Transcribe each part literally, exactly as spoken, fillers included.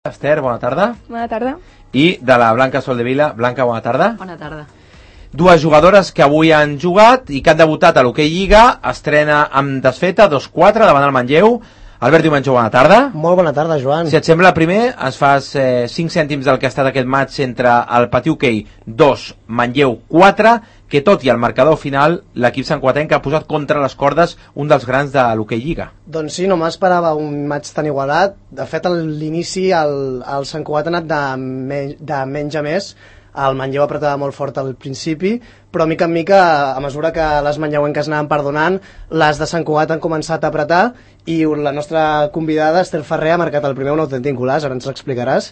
Esther, bona tarda. Bona tarda. I de la Blanca Soldevila. Blanca, bona tarda. Bona tarda. Dues jugadores que avui han jugat i que han debutat a l'Hockey Lliga. Estrena amb desfeta, dos quatre, davant el Manlleu. Albert Diumenjo, bona tarda. Molt bona tarda, Joan. Si et sembla, primer ens fas eh, cinc cèntims del que ha estat aquest match entre el Patí Hockey dos, Manlleu quatre, que tot i el marcador final, l'equip santcugatenc ha posat contra les cordes un dels grans de l'Hockey Lliga. Doncs sí, no m'esperava un match tan igualat. De fet, a l'inici el, el Sant Cugat ha anat de, me, de menys a més. El Manlleu apretava molt fort al principi, però mica en mica, a mesura que les manlleuenques anaven perdonant, les de Sant Cugat han començat a apretar i la nostra convidada, Esther Ferrer, ha marcat el primer un autèntic golaç, ara ens l'explicaràs.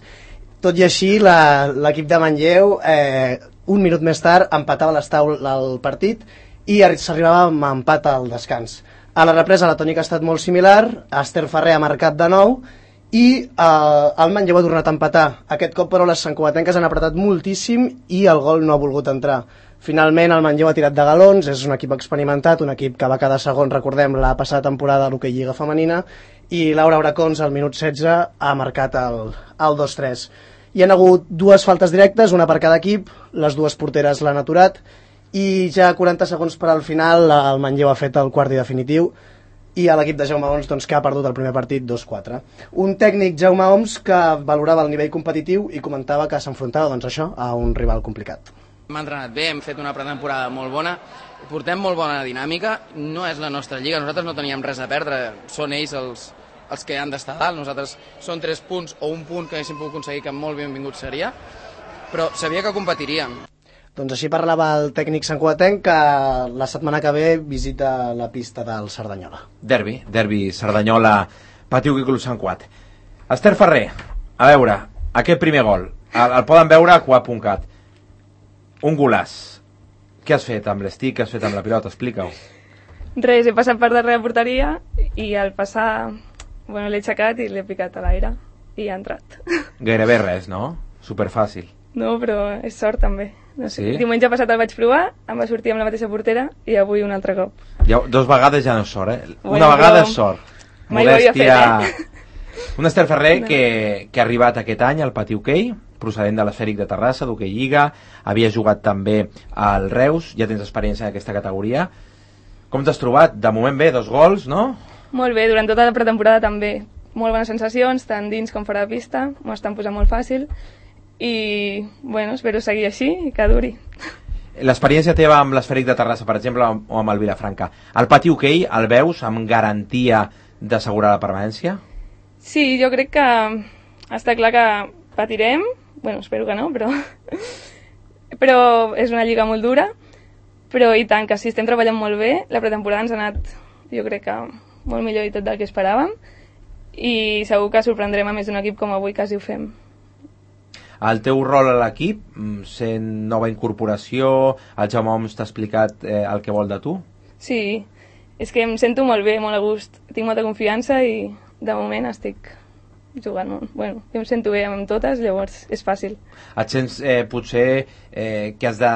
Tot i així, l'equip de Manlleu, eh, un minut més tard, empatava l'estaul el partit i s'arribava amb empat al descans. A la represa la tònica ha estat molt similar, Esther Ferrer ha marcat de nou, i eh, el Manlleu ha tornat a empatar. Aquest cop, però, les santcugatenques han apretat moltíssim i el gol no ha volgut entrar. Finalment, el Manlleu ha tirat de galons, és un equip experimentat, un equip que va quedar segon, recordem, la passada temporada a l'Hockey Lliga femenina, i Laura Bracons, al minut setze, ha marcat el, el dos tres. Hi ha hagut dues faltes directes, una per cada equip, les dues porteres l'han aturat, i ja quaranta segons per al final el Manlleu ha fet el quart i definitiu, i a l'equip de Jaume Oms, doncs, que ha perdut el primer partit dos quatre. Un tècnic, Jaume Oms, que valorava el nivell competitiu i comentava que s'enfrontava, doncs, això, a un rival complicat. Hem entrenat bé, hem fet una pretemporada molt bona, portem molt bona dinàmica, no és la nostra lliga, nosaltres no teníem res a perdre, són ells els, els que han d'estar dalt, nosaltres són tres punts o un punt que haguéssim pogut aconseguir, que molt benvingut seria, però sabia que competiríem. Doncs així parlava el tècnic santcugatenc, que la setmana que ve visita la pista del Cerdanyola. Derbi, derbi Cerdanyola, Patí Hockey Club Sant Cugat. Esther Ferrer, a veure, aquest primer gol, el, el poden veure a cuat punt cat. Un golaç. Què has fet amb l'estic, què has fet amb la pilota? Explica-ho. Res, he passat per darrere la porteria i al passar, bueno, l'he aixecat i l'he picat a l'aire i ha entrat. Gairebé res, no? Superfàcil. No, però és sort també. No sé. Sí? Diumenge passat el vaig provar, em va sortir amb la mateixa portera i avui un altre cop. Ja, dos vegades ja no és sort, eh? Bueno, Una vegada però... és sort. Mai ho havia fet, eh? Un Esther Ferrer no. que, que ha arribat aquest any al Patí Hockey, procedent de l'Esfèric de Terrassa, d'Hockey Lliga, havia jugat també al Reus, ja tens experiència en aquesta categoria. Com t'has trobat? De moment bé, dos gols, no? Molt bé, durant tota la pretemporada també. Molt bones sensacions, tant dins com fora de pista, m'ho estan posant molt fàcil i, bueno, espero seguir així i que duri. L'experiència teva amb l'Esfèric de Terrassa, per exemple, o amb el Vilafranca, el Patí Hockey el veus amb garantia d'assegurar la permanència? Sí, jo crec que està clar que patirem, bueno, espero que no, però però és una lliga molt dura, però i tant, que sí, estem treballant molt bé, la pretemporada ens ha anat, jo crec que molt millor i tot del que esperàvem, i segur que sorprendrem a més d'un equip com avui quasi ho fem. El teu rol a l'equip, sent nova incorporació, el Jaume Oms t'ha explicat eh, el que vol de tu? Sí, és que em sento molt bé, molt a gust, tinc molta confiança i de moment estic jugant molt. Bueno, jo em sento bé amb totes, llavors és fàcil. Et sents eh, potser eh, que has de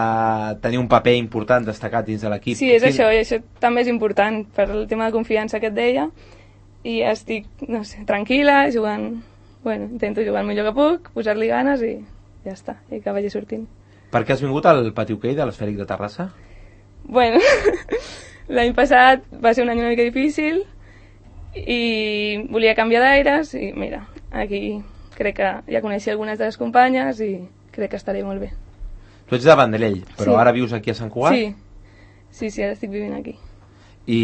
tenir un paper important destacat dins de l'equip? Sí, és Quin... això, i això també és important per el tema de confiança que et deia, i estic, no sé, tranquil·la, jugant... Bueno, intento jugar el millor que puc, posar-li ganes i ja està, i que vagi sortint. Per què has vingut al Patí Hockey de l'Esfèric de Terrassa? Bueno, l'any passat va ser un any una mica difícil i volia canviar d'aires i mira, aquí crec que ja coneixia algunes de les companyes i crec que estaré molt bé. Tu ets de Vandellell, però sí. Ara vius aquí a Sant Cugat? Sí, sí, sí, ara estic vivint aquí. I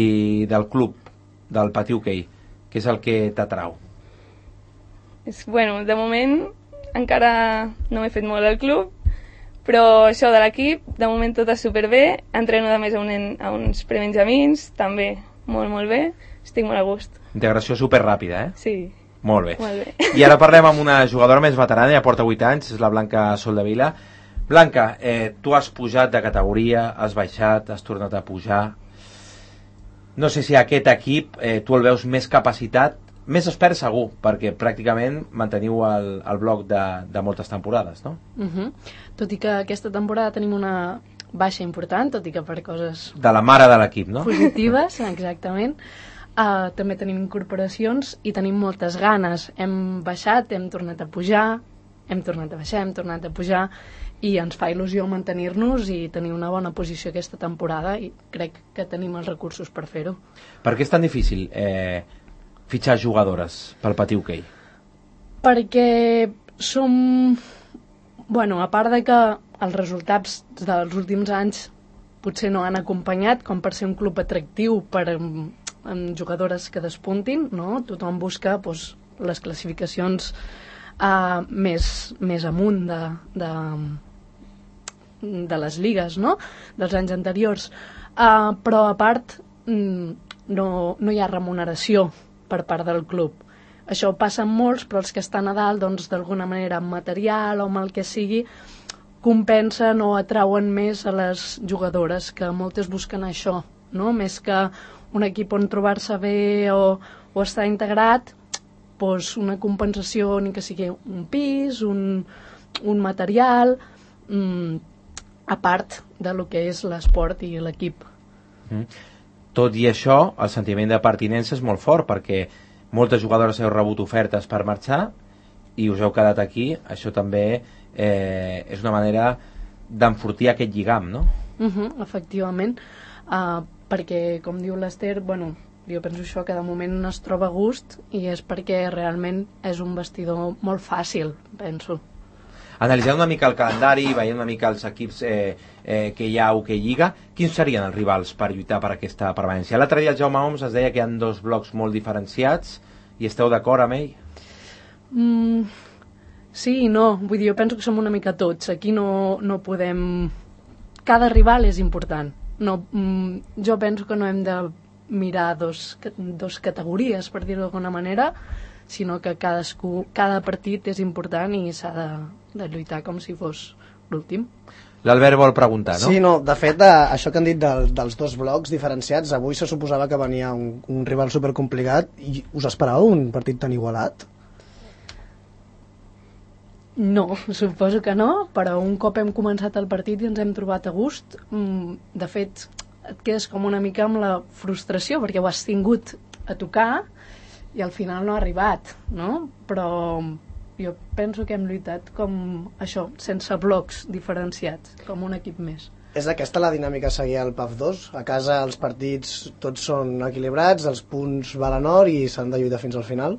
del club, del Patí Hockey, què és el que t'atrau? És, bueno, de moment encara no m'he fet molt al club, però això de l'equip, de moment tot és superbé, entreno de més a, un, a uns prebenjamins, també molt, molt bé, estic molt a gust. Integració superràpida, eh? Sí. Molt bé. Molt bé. I ara parlem amb una jugadora més veterana, ja porta vuit anys, és la Blanca Soldevila. Blanca, eh, tu has pujat de categoria, has baixat, has tornat a pujar. No sé si aquest equip eh, tu el veus més capacitat, més expert segur, perquè pràcticament manteniu el, el bloc de, de moltes temporades, no? Uh-huh. Tot i que aquesta temporada tenim una baixa important, tot i que per coses... De la mare de l'equip, no? Positives, exactament. Uh, també tenim incorporacions i tenim moltes ganes. Hem baixat, hem tornat a pujar, hem tornat a baixar, hem tornat a pujar, i ens fa il·lusió mantenir-nos i tenir una bona posició aquesta temporada, i crec que tenim els recursos per fer-ho. Per què és tan difícil eh, fitxar jugadores pel Patí Hoquei? Perquè som... Bueno, a part de que els resultats dels últims anys potser no han acompanyat, com per ser un club atractiu per amb jugadores que despuntin, no? Tothom busca doncs, les classificacions uh, més, més amunt de, de, de les lligues, no? Dels anys anteriors. Uh, però a part no, no hi ha remuneració per part del club. Això passa amb molts, però els que estan a dalt, doncs, d'alguna manera amb material o amb el que sigui, compensen o atrauen més a les jugadores, que moltes busquen això, no? Més que un equip on trobar-se bé o, o estar integrat, doncs una compensació, ni que sigui un pis, un, un material, mmm, a part de lo que és l'esport i l'equip. Mm. Tot i això, el sentiment de pertinença és molt fort, perquè moltes jugadores heu rebut ofertes per marxar i us heu quedat aquí. Això també eh, és una manera d'enfortir aquest lligam, no? Uh-huh, efectivament. Uh, perquè, com diu l'Ester, bueno, jo penso això, que de moment es troba a gust, i és perquè realment és un vestidor molt fàcil, penso. Analitzant una mica el calendari, veient una mica els equips eh, eh, que hi ha a Hoquei Lliga, quins serien els rivals per lluitar per aquesta permanència? L'altre dia el Jaume Oms es deia que hi ha dos blocs molt diferenciats, i esteu d'acord amb ell? Mm, sí i no, vull dir, jo penso que som una mica tots, aquí no, no podem... Cada rival és important. No, mm, jo penso que no hem de mirar dos, dos categories, per dir-ho d'alguna manera, sinó que cadascú, cada partit és important i s'ha de, de lluitar com si fos l'últim. L'Albert vol preguntar, no? Sí, no, de fet, eh, això que han dit del, dels dos blocs diferenciats, avui se suposava que venia un, un rival supercomplicat, i us esperàveu un partit tan igualat? No, suposo que no, però un cop hem començat el partit i ens hem trobat a gust, de fet, et quedes com una mica amb la frustració, perquè ho has tingut a tocar i al final no ha arribat, no? Però jo penso que hem lluitat com això, sense blocs diferenciats, com un equip més. És aquesta la dinàmica a seguir al P A F dos? A casa els partits tots són equilibrats, els punts valen or i s'han de lluitar fins al final?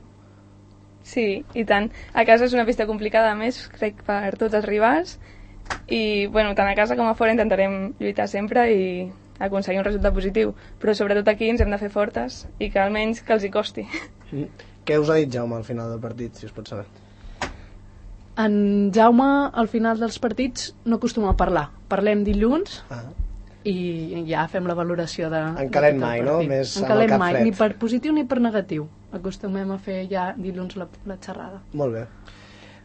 Sí, i tant. A casa és una pista complicada, a més, crec, per tots els rivals, i bueno, tant a casa com a fora intentarem lluitar sempre i aconseguir un resultat positiu, però sobretot aquí ens hem de fer fortes i que almenys que els hi costi. Mm. Què us ha dit Jaume al final del partit, si us pot saber? En Jaume, al final dels partits, no acostuma a parlar. Parlem dilluns ah. i ja fem la valoració de... En calent mai, no? Més en calent mai, fred. Ni per positiu ni per negatiu. Acostumem a fer ja dilluns la, la xerrada. Molt bé.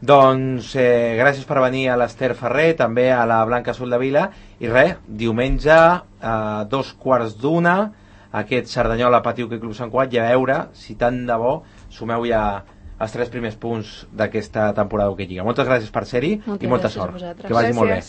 Doncs eh, gràcies per venir a l'Ester Ferrer, també a la Blanca Soldevila, i res, diumenge a dos quarts d'una, aquest Cerdanyola Patí Hoquei Club Sant Cugat, i a veure si tant de bo sumeu ja els tres primers punts d'aquesta temporada d'Hoquei Lliga. Moltes gràcies per ser-hi i molta sort. Que vagi molt bé.